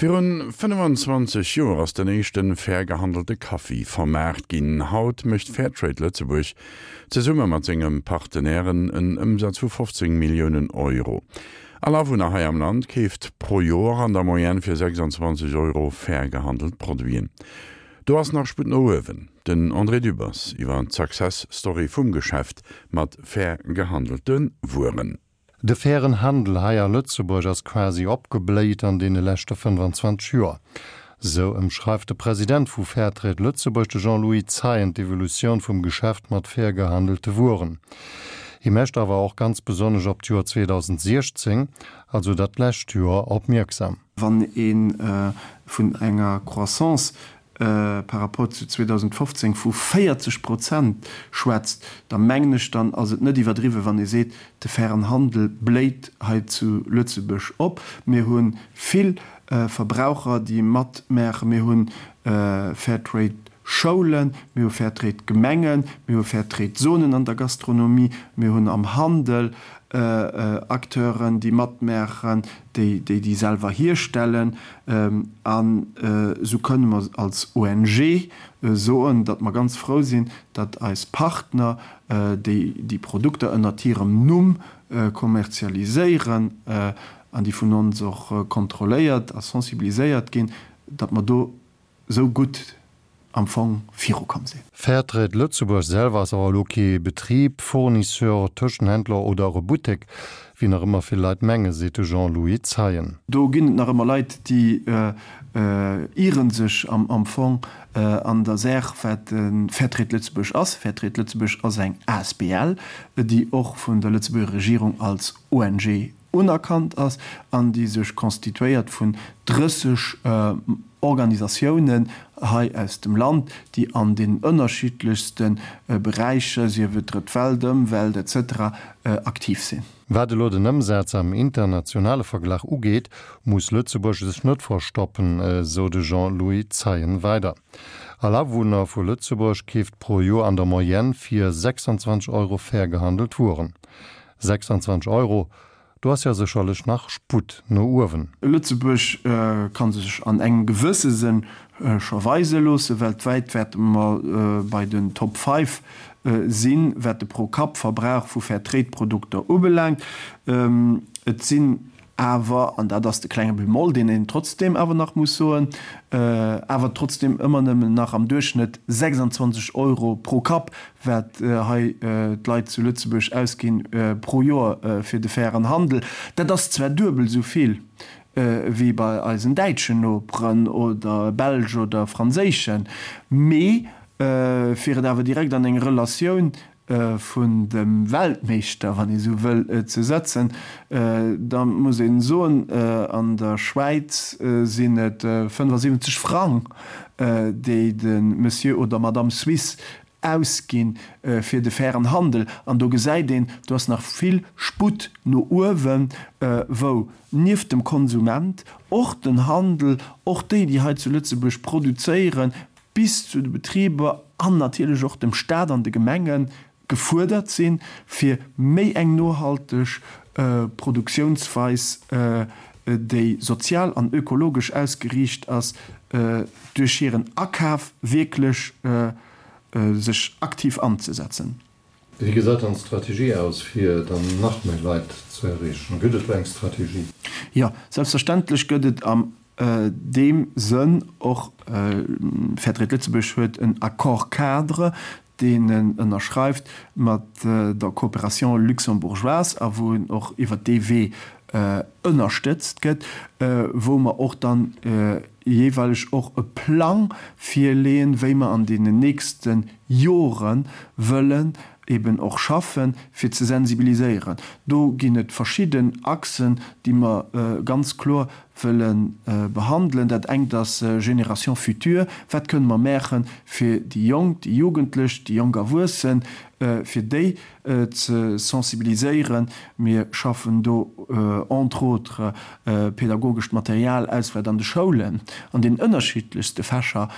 Virun 25 Joer ass den éischten fair gehandelte Kaffi vermaart ginn. Haut mécht Fairtrade Lëtzebuerg zesumme mat senge Partenairen en Ëmsaz vu 15 Milliounen Euro. All Awunner hei am Land keeft pro Joer an der Moyenne fir 26 Euro fair gehandelt Produiten. Do ass nach Sputt no uewen. Den André Dübbers iwwer d'Success Story vum Geschäft mat fair gehandelte Wueren. De fairen Handel hei a Lëtzebuerg ass quasi opgebléit an deene leschte 25 Joer. Sou ëmschreift de President vu Fairtrade Lëtzebuerg, de Jean-Louis Zeien, d'Evolutioun vum Geschäft mat fair gehandelte Wueren. Hie mécht awer och ganz besonnesch op d'Joer 2016, also dat lescht Joer, opmierksam. Wann ee vun enger Croissance par rapport zu 2015 vu 40 Prozent schwätzt, da mengen ech, dann ass et net iwwerdriwwen, wann ee seet, de fairen Handel bléit hei zu Lëtzebuerg op. Mir hu vill Verbraucher, déi matmaachen. Mir hu Fairtrade-Schoulen, mir hu Fairtrade-Gemengen, mir hu Fairtrade-Zonen an der Gastronomie, mir hunn am Handel Acteuren, déi matmaachen, déi déi selwer hierstellen. An esou kënne mer als ONG soen, datt mer ganz frou sinn, datt eis Partner, déi déi Produkter ënnert hirem Numm kommerzialiséieren an déi vun ons och kontrolléiert a sensibiliséiert ginn, datt mer do esou gutt am Fong virukomm sinn. Fairtrade Lëtzebuerg selwer ass awer elo kee Betrib, Fournisseur, Tëschenhändler oder och e Buttek, wéi nach ëmmer vill Leit mengen, seet de Jean-Louis Zeien. Do ginn et nach ëmmer Leit, déi iere sech am Fong an der Saach, wat Fairtrade Lëtzebuerg ass. Fairtrade Lëtzebuerg ass eng asbl, déi och vun der Lëtzebuerger Regierung als ONG unerkannt ass an déi sech constituéiert vun 30 Organisatiounen hei aus dem Land, déi an den ënnerschiddlechste Beräicher, sief et Drëtt Welt, Ëmwelt, etc. Aktiv sinn. Wat elo den Ëmsaz am internationale Verglach ugeet, muss Lëtzebuerg sech net verstoppen, esou de Jean-Louis Zeien weider. All Awunner vu Lëtzebuerg keeft pro Joer an der Moyenne fir 26 Euro fair gehandelt Wueren. 26 Euro, do ass jo sécherlech nach Sputt no uewen. Lëtzebuerg ka sech an engem gewësse Sënn scho weise loossen. Weltwäit wäerte mer bei den Top Five sinn, wat de Pro-Kapp-Verbrauch vu Fair-Trade-Produkter ubelaangt. Et sinn awer, an dat ass de klenge Bemoll, deen een trotzdeem awer nach muss soen, awer trotzdeem ëmmer nëmmen nach am Duerchschnëtt 26 Euro pro Kapp, wat hei d'Leit zu Lëtzebuerg ausgi pro Joer fir de fairen Handel. Dat ass zwar duebel esou vill wéi bei eisen däitschen Noperen oder belsch oder franséischen, mee fir et awer direkt an eng Relatioun vun dem Weltmeeschter, wann ee sou wëll, ze setzen, da muss ee soen, an der Schwäiz sinn et 75 Frang, déi de Monsieur oder Madame Suisse ausgi fir de fairen Handel. An do gesäit een, do ass nach vill Sputt no uewen, wou nieft dem Konsument och den Handel, och déi, déi hei zu Lëtzebuerg produzéieren, bis zu de Betriber an natierlech och dem Staat an de Gemenge gefuerdert sinn, fir méi eng nohalteg Produktiounsweis, déi sozial an ökologesch ausgeriicht ass, duerch hiren Akaf wierklech sech aktiv anzesetzen. Wéi gesäit dann d'Strategie aus, fir dann nach méi Leit ze erreechen? Gëtt et do eng Strategie? Jo, selbstverständlech gëtt et am deem Sënn och, Fairtrade Lëtzebuerg huet en Accord-cadre, deen en ënnerschreift mat der Coopération luxembourgeoise a wou en och iwwert dee Wee ënnerstëtzt gëtt, wou mer och dann jeeweileg och e Plang virleeën, wéi mer an deenen nächste Jore wëllen eben och schaffen, fir ze sensibiliséieren. Do ginn et verschidden Achsen, déi mer ganz kloer wëlle behandelen. Dat engt ass Génération future, Wat kënne mer maachen, fir déi Jonk, déi Jugendlech, déi jonk Erwuessen? fir déi ze sensibiliséieren. Mir schaffen do entre autres pedagogescht Material aus, wat an de Schoulen an den ënnerschiddlechste Fächer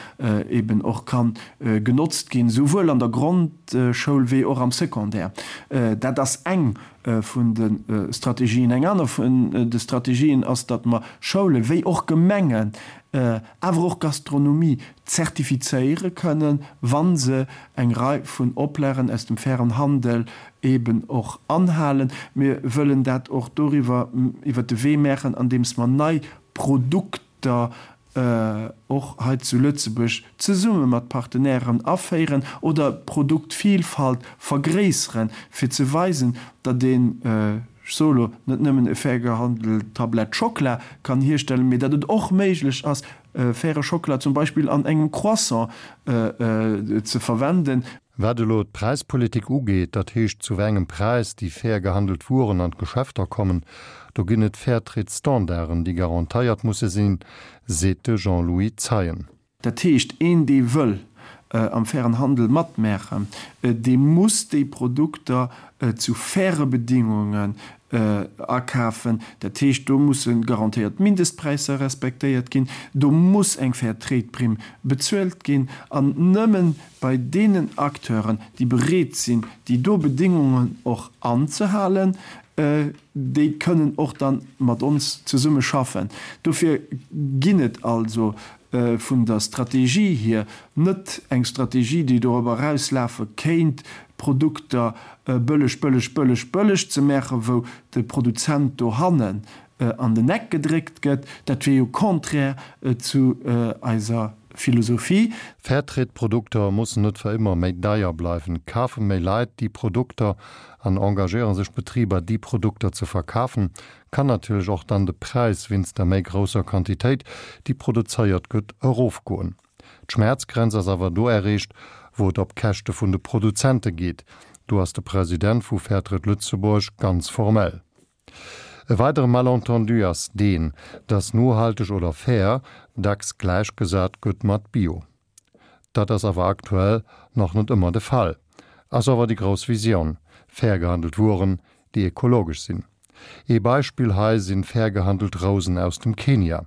eben och ka genotzt ginn, souwuel an der Grondschoul wéi och am Secondaire. Dat ass eng vun de Strategien. Eng aner vun de Strategien ass, datt mer Schoule wéi och Gemengen, awer och Gastronomie zertifizéiere kënnen, wa se eng Rei vun Oplagen aus dem fairen Handel eben och anhalen. Mir wëllen dat och doriwwer iwwert de Wee maachen, andeems mer nei Produkter och hei zu Lëtzebuerg zesumme mat Partenairen aféieren oder d'Produktvielfalt vergréisseren, fir ze weisen, datt een, ech soe lo, net nëmmen e fair gehandelt Tablett Schockela kann hierstellen, mee datt et och méiglech ass, faire Schockela zum Beispill an engem Croissant ze verwenden. Wat elo d'Präispolitik ugeet, dat heescht zu wei engem Präis déi fair gehandelt Wueren an d'Geschäfter kommen, do ginn et Fairtrade-Standarden, déi garantéiert musse sinn, seet de Jean-Louis Zeien. Dat heescht, een dee wëll am fairen Handel matmaachen, dee muss déi Produkter zu faire Bedingungen akafen. Dat heescht, do musse garantéiert Mindestpräisser respektéiert ginn, do muss eng Fair Trade Primm bezuelt ginn an nëmmen bei deenen Acteuren, déi bereet sinn, déi do Bedingungen och anzehalen, déi kënnen och da mat ons zesumme schaffen. Dofir ginn et also vun der Strategie hier net eng Strategie, déi dorobber erauslafe kéint, Produkter bëlleg, bëlleg, bëlleg, bëlleg ze maachen, wou de Produzent dohannen an den Eck gedréckt gëtt. Dat wier jo contraire zu eiser Philosophie. Fairtrade-Produkter mussen net fir ëmmer méi deier bleiwen. Kafe méi Leit déi Produkter an engagéiere sech Betriber déi Produkter ze verkafen, kann natierlech och dann de Präis wéinst der méi grousser Quantitéit, déi produzéiert gëtt, erofgoen. D'Schmäerzgrenz ass awer do erreecht, wou et op Käschte vun de Produzente geet. Do ass de President vu Fairtrade Lëtzebuerg ganz formell. E weidere Malentendu ass deen, dass nohalteg oder fair dacks gläichgesat gëtt mat bio. Dat ass awer aktuell nach net ëmmer de Fall. Ass awer déi grouss Visioun, fair gehandelt Wueren, déi ekologesch sinn. Ee Beispill hei sinn fair gehandelt Rousen aus dem Kenia.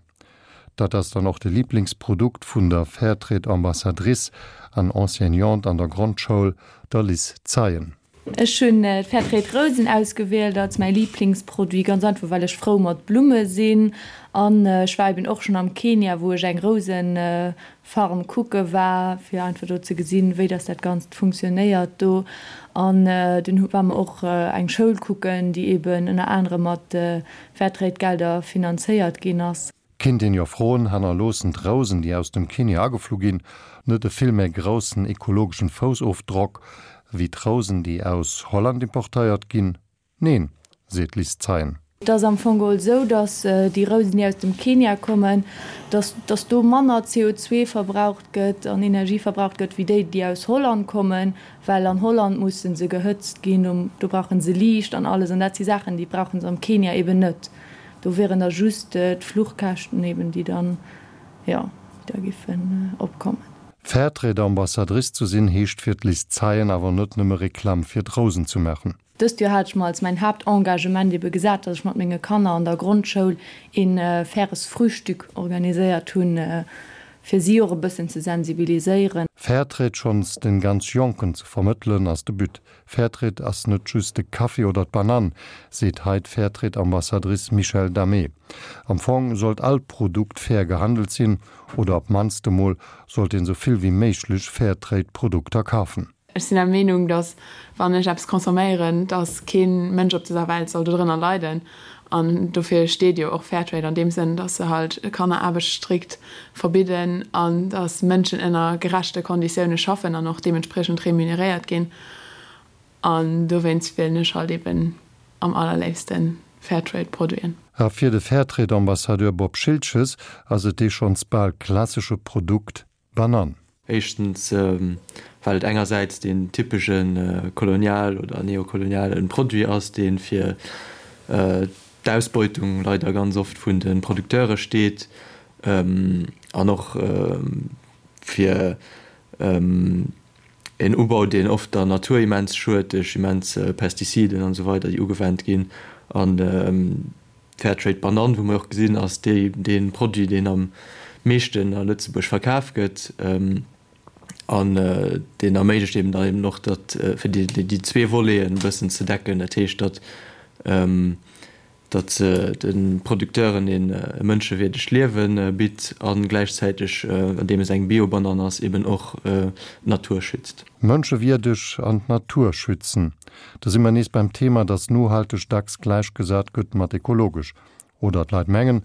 Dat ass dann och de Liblingsprodukt vun der Fairtrade-Ambassadrice an Enseignante an der Grondschoul, der Liz Zeien. Ech hunn d'Fairtrade Rousen ausgewielt als mäi Liblingsproduit, ganz einfach well ech frou mat Blumme sinn an ech war eben och schonn am Kenia wou ech eng Rousefarm kucke war fir einfach do ze gesinn wéi dass dat ganzt funktionéiert do an dunn war mer och eng Schoul kucken déi eben ënner anerem mat Fairtrade Gelder finanzéiert ginn ass. Kinnt een jo froen, hannerloossen d'Rousen, déi aus dem Kenia ageflu ginn, net e vill méi groussen ekologeschen Foussofdrock wéi d'Rousen, déi aus Holland importéiert ginn? Neen, seet d'Liz Zeien. Et ass am Fong geholl esou, datt déi Rousen, déi aus dem Kenia kommen, datt datt do manner CO2 verbraucht gëtt an Energie verbraucht gëtt wéi déi, déi aus Holland kommen, well an Holland musse se gehëtzt ginn, do brauche se Liicht an alles an dat si Saachen, déi brauche se am Kenia eben net. Do wieren da just d'Fluchkäschten eben, déi dann, jo, déi da giffen opkommen. Fairtrade-Ambassadrice ze sinn, heescht fir d'Liz Zeien awer net nëmme Reklamm fir d'Rousen ze maachen. Dëst Joer hat ech mer als mäin Haaptengagement ebe gesat, dass ech mat menge Kanner an der Grondschoul een faires Frühstück organiséiert hunn, fir si och e bëssen ze sensibiliséieren. Fairtrade schonns den ganz Jonken ze vermëttelen, ass de But. Fairtrade ass net just de Kaffi oder d'Banann, seet hei d'Fairtrade-Ambassadrice Michèle Damé. Am Fong sollt all Produkt fair gehandelt sinn, oder op d'mannst emol sollt een sou vill wéi méiglech Fairtrade-Produkter kafen. Ech sinn der Meenung, datt wann ech eppes consomméieren, datt kee Mënsch op dëser Welt soll dodrënner leiden. An dofir steet jo och Fairtrade an deem Sënn, datt se halt Kanneraarbecht strikt verbidden an datt Mënschen ënner gerechte Konditioune schaffen an och deementspriechend remuneréiert ginn. An dowéinst wielen ech halt eben am allerléifste Fairtrade-Produiten. A fir de Fairtrade-Ambassadeur Bob Schiltges ass et dee schonns bal klassesche Produkt Banann. Éischtens, well et engersäits deen typesche kolonial oder neokoloniale Produit ass, dee fir d'Ausbeutung leider ganz oft vun de Producteure steet an och fir. En Ubau, deen oft der Natur immens schued duerch immens Pestiziden an esou weider, déi ugewennt ginn. An d'Fairtrade Banann, wou mer och gesinn, ass déi, dee Produit, deen am meeschten a Lëtzebuerg verkaf gëtt. An deen erméiglecht eben dann eben och, datt, fir déi zwee Voleten e bëssen ze decken, dat heescht, datt, datt se de Producteuren e mënschewierdegt Liewe bitt a gläichzäiteg, andeem es eng Bio-Banann ass, eben och d'Natur schützt. Mënschewierdeg an d'Natur schützen, do si mer nees beim Thema, datt nohalteg dacks gläichgesat gëtt mat ekologesch. Oder d'Leit mengen,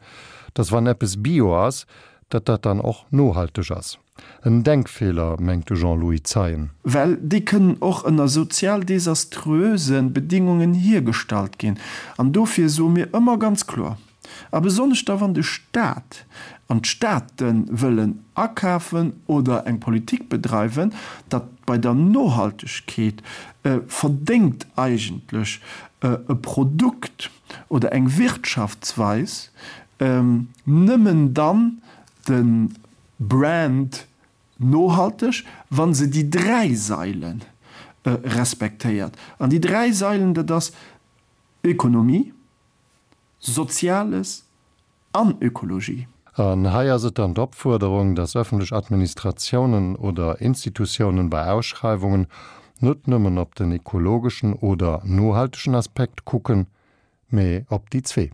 datt wann eppes bio ass, datt dat dann och nohalteg ass. En Denkfeeler, mengt de Jean-Louis Zeien. Well déi kënnen och ënner sozial desaströse Bedingungen hiergestallt ginn. An dofir soe mir ëmmer ganz kloer, a besonnesch da wann de Stat an d'State wëllen akafen oder eng Politik bedreiwen, datt bei der Nohaltegkeet verdéngt eigentlech e Produkt oder eng Wirtschaftsweis nëmmen dann de Brand nohalteg, wa se déi dräi Saile respektéiert. An déi dräi Sailen, dat ass Ökonomie, Soziales an Ökologie. An hei ass et dann d'Opfuerderung, dass öffentlech Administratiounen oder Institutiounen bei Ausschreiwungen net nëmmen op den ekologeschen oder nohaltegen Aspekt kucken, mee op déi zwee.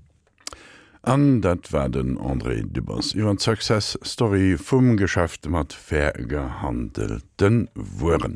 An dat war den André Dübbers iwwer d'Success Story vum Geschäft mat fair gehandelte Wueren.